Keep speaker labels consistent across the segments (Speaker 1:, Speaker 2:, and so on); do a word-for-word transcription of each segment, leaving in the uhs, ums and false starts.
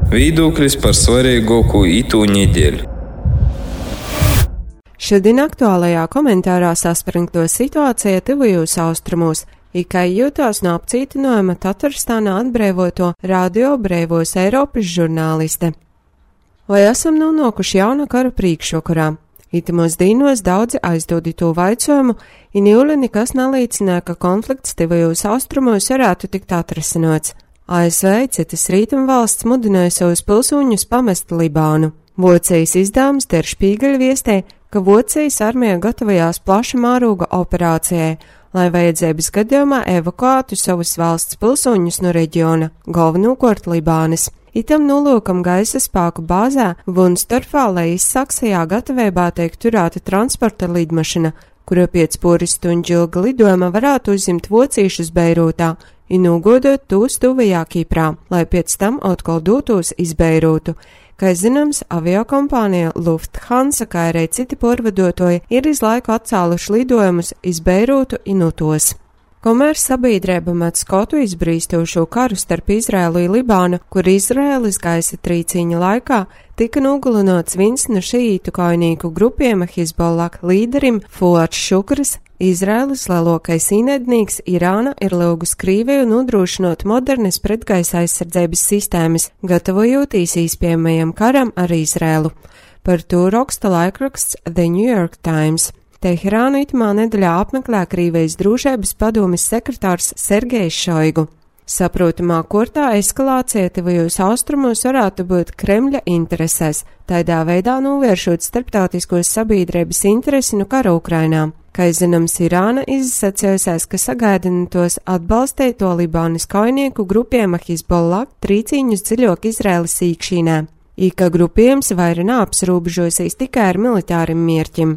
Speaker 1: Viedoklis par svarīgāko itū nedēļu.
Speaker 2: Šodien aktuālajā komentārā saspringto situācija tuvajos austrumos. Ikai jūtās no apcītinājuma Tatarstānā atbrīvoto Radio Breivos Eiropas žurnāliste. Vai esam nonākuši jauna kara priekšvakarā? Itamos dīnos daudzi aizdodi to vaicojumu, i niule nekas nalīcināja, ka konflikts tuvajos austrumos varētu tikt atrasināts. A S V citas rietumvalsts mudināja savus pilsoņus pamest Libānu. Vocijas izdevums Der Spiegel viestē, ka Vocijas armija gatavojās plaša mēroga operācijai, lai vajadzības gadījumā evakuētu savus valsts pilsoņus no reģiona, galvenokārt Libānas. Itam nolūkam gaisa spēku bāzē Vunstorfā, lai izsaksajā gatavībā tiek turēta transporta lidmašina, kura pēc poris stundu ilga lidojuma varētu uzņemt vocīšus Beirūtā un nogodot tos tuvajā Kiprā, lai pēc tam atkal dotos iz Beirūtu. Kā zināms, aviokompānija Lufthansa, kā arī citi pārvadotoji, ir iz laiku atcēluši lidojumus iz Beirūtu un utos. Komēr sabiedrība met skotu izbrīstošo karu starp Izraēlu un Libānu, kur Izraēlas gaisa trīcīņa laikā tika nogalināts viens no šīītu kaujnieku grupiem Hizbollah līderim Fuads Šukrs, Izraēlas lielākais ienaidnieks Irāna ir lūgus Krieviju nodrošinot modernas pretgaisa aizsardzības sistēmas, gatavojoties īspējamajam karam ar Izraēlu. Par to raksta laikraksts The New York Times. Teherānu itamā nedēļā apmeklē Krievijas drošības padomes sekretārs Sergejs Šoigu. Saprotamā kortā eskalācija tuvajos austrumos varētu būt Kremļa interesēs, tādā veidā novēršot starptautiskos sabiedrības interesi no kara Ukrainā. Kā zināms, Irāna izsacījusies, ka sagaidina tos atbalstīt to Libānas kaujinieku grupiem Hizbollah trīcīņus dziļāk Izraēlas iekšīnē, i ka grupējums vairāk neapsrobežosies tikai ar militāriem mērķiem.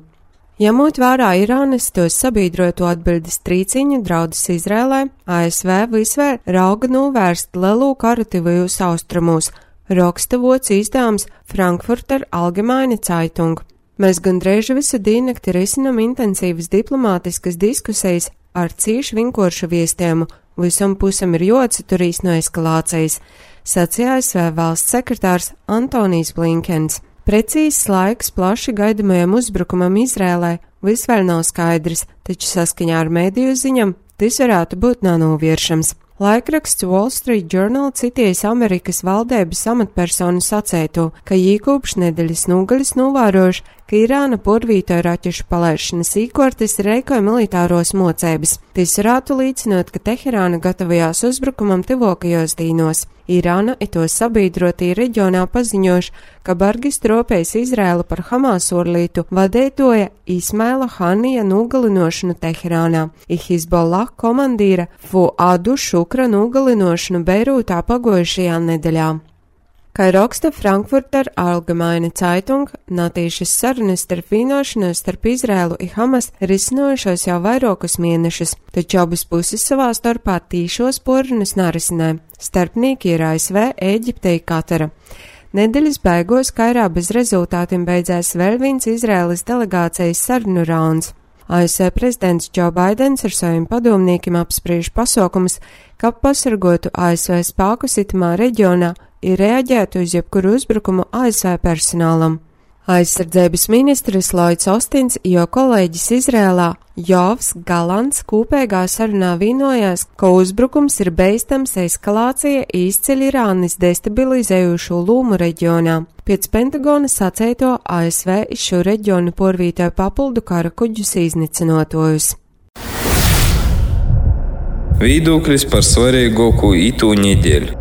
Speaker 2: Ņemot vērā Irānas tos sabiedroto atbildes trīcīņu draudus Izrēlē, A S V visvēr rauga novērst lielu karu tuvajos austrumos, raksta Vocijas izdevums Frankfurter Allgemeine Zeitung. Mēs gandrīz visu diennakti risinam intensīvas diplomātiskas diskusijas ar cīši vinkošu viestējumu, visam pusam ir jāatturās no eskalācijas, sacīja A S V valsts sekretārs Antonijs Blinkens. Precīzs laiks plaši gaidamajam uzbrukumam Izrēlē visvēl nav skaidrs, taču saskaņā ar mēdīju ziņam tas varētu būt nenovēršams. Laikraksts Wall Street Journal citējas Amerikas valdības amatpersonu sacēto, ka īkopš nedēļas nogaļas novērojuši, ka Irāna porvītoja raķešu palaišanas īkortes reikoja militāros mocēbas. Tas varētu līdzināt, ka Teherāna gatavojās uzbrukumam tuvākajos dīnos. Irāna i to sabiedrotie reģionā paziņojuši, ka bargi stropējas Izrēlu par Hamas orlītu vadētoja Ismaila Hanija nogalinošanu Teherānā, i Hizbollah komandīra Fuadu Šukra nogalinošanu Beirūtā pagojušajā nedēļā. Kā raksta Frankfurter Allgemeine Zeitung, natīšas sarunas starp vienošanos starp Izrēlu un Hamas risinājušos jau vairākus mēnešus, taču abas puses savā starpā tīšos porunas narisinē. Starpnieki ir A S V, Ēģipte un Katara. Nedēļas beigās Kairā bez rezultātiem beidzās vēl viens Izraēlas delegācijas sarunu rauns. A S V prezidents Džo Baidens ar saviem padomniekiem apspriež pasaukumus, kā pasargotu A S V spēkus itamā reģionā ir reaģētu uz jebkuru uzbrukumu A S V personālam. Aizsardzības ministrs Lloyds Ostins, jo kolēģis Izrēlā Jovs Galants kopīgā sarunā vienojās, ka uzbrukums ir beistams eskalācija izceļ Irānas destabilizējušo lūmu reģionā. Pēc Pentagona sacēto A S V šo reģionu porvītoja papildu kara kuģus iznīcinotojus.
Speaker 1: Viedoklis par svarīgāko itū nedēļu.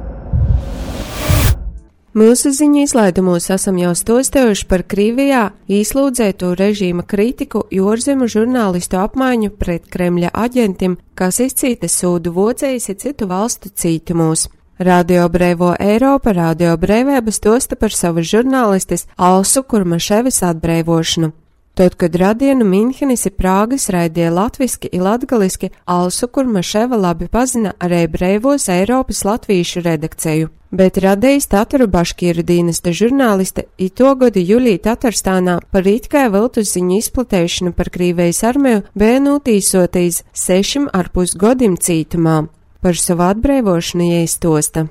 Speaker 2: Mūsu ziņu izlaidumos esam jau stostējuši par Krievijā īslūdzēto režīma kritiku ārzemju žurnālistu apmaiņu pret Kremļa aģentiem, kas izcīta sūdu Vocijas un citu valstu cītumos. Radio Breivo Eiropa, Radio Breivības tosta par savas žurnālistes Alsu Kurmaševas atbrīvošanu. Tad, kad radienu Minhenes un Prāgas raidīja latviski un latgaliski, Alsu Kurmaševa labi pazina arī Breivos Eiropas latvīšu redakciju. Bet radījis Tataru Baškīru dienesta žurnāliste i to gadu jūlī Tatarstānā par itkai viltus ziņu izplatēšanu par Krievijas armiju bija notīsotīs sešim ar pus godim cītumā. Par savu atbrīvošanu jāiztosta.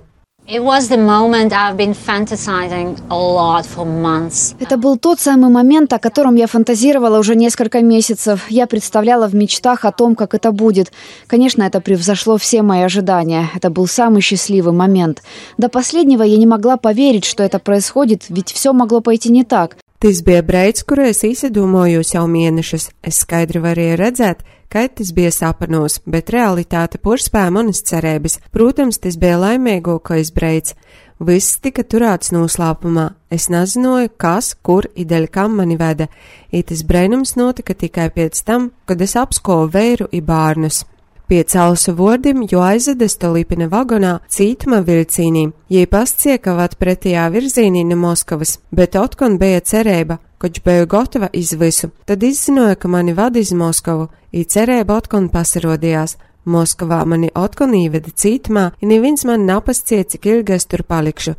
Speaker 3: It was the moment I've been fantasizing a lot for months.
Speaker 4: Это был тот самый момент, о котором я фантазировала уже несколько месяцев. Я представляла в мечтах о том, как это будет. Конечно, это превзошло все мои ожидания. Это был самый счастливый момент. До последнего я не могла поверить, что это происходит, ведь все могло пойти не так.
Speaker 2: Tas bija breids, kuru es izdomājos jau mēnešus. Es skaidri varēju redzēt, ka tas bija sapnos, bet realitāte porspēja manas cerības. Protams, tas bija laimīgākais breids. Viss tika turēts noslēpumā. Es nezināju, kas, kur, ideļ kam mani veda. Itis breinums notika tikai pēc tam, kad es apskovu vēru i bārnus. Pie celsu vordim, jo aizvedas to lipina vagonā cītuma vilcīnī, jei pasciekavat pretējā virzīnī no Moskavas, bet otkon bija cerība, koč biju gotava iz visu. Tad izzināju, ka mani vada iz Moskavu, i cerība otkon pasarodījās. Moskavā mani otkon īveda cītumā, i neviens man napasciet, cik ilgi es tur palikšu.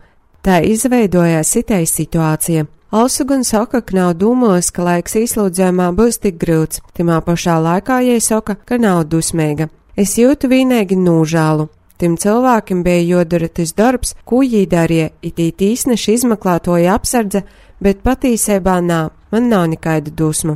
Speaker 2: Tā izveidojās sitai situācija. Also gan saka, ka nav domājis, ka laiks īslūdzējumā būs tik grūts. Timā pašā laikā jai saka, ka nav dusmīga. Es jūtu vienīgi nūžālu. Tim cilvēkiem bija jodara tas darbs, ko jī darīja, it īsneši izmeklētoja apsardze, bet patīsībā nā, man nav nekaidu dusmu.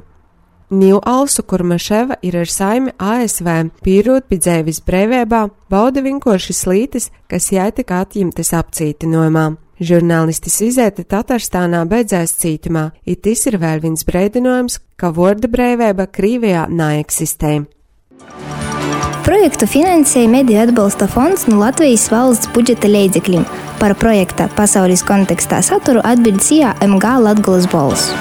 Speaker 2: Niu Alsu Kurmaševa ir ar saimi A S V, pīrūt pie dzēvis brīvībā, bauda vienkārši slītis, kas jai tika atņemtas apcītinojumā. Žurnālistis izēta Tatarstānā beidzēs cītumā, it tas ir vēl viens brēdinojums, ka vorda brīvība Krīvijā neeksistē.
Speaker 5: Projektu finansēja Mediju atbalsta fonds no Latvijas valsts budžeta līdzekļiem. Par projekta pasaules kontekstā saturu atbild C I A M G Latgolas balss.